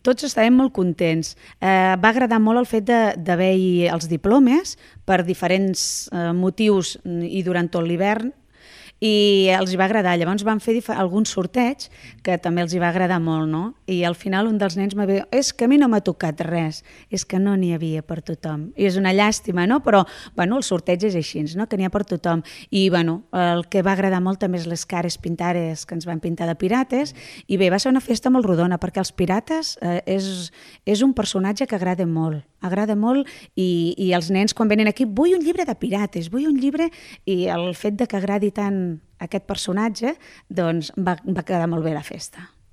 tots estàvem molt contents. Va agradar molt el fet d'haver-hi els diplomes per diferents motius i durant tot l'hivern, i els hi va agradar. Llavors van fer alguns sorteigs que també els hi va agradar molt, no? I al final un dels nens m'ha dit, és que a mi no m'ha tocat res, és que no n'hi havia per tothom. I és una llàstima, no? Però bueno, el sorteig és així, no? Que n'hi ha per tothom. I bueno, el que va agradar molt també és les cares pintades que ens van pintar de pirates, i bé, va ser una festa molt rodona, perquè els pirates és un personatge que agrada molt i els nens quan venen aquí, vull un llibre de pirates, vull un llibre, i el fet de que agradi tant aquest personatge, doncs va quedar molt bé la festa.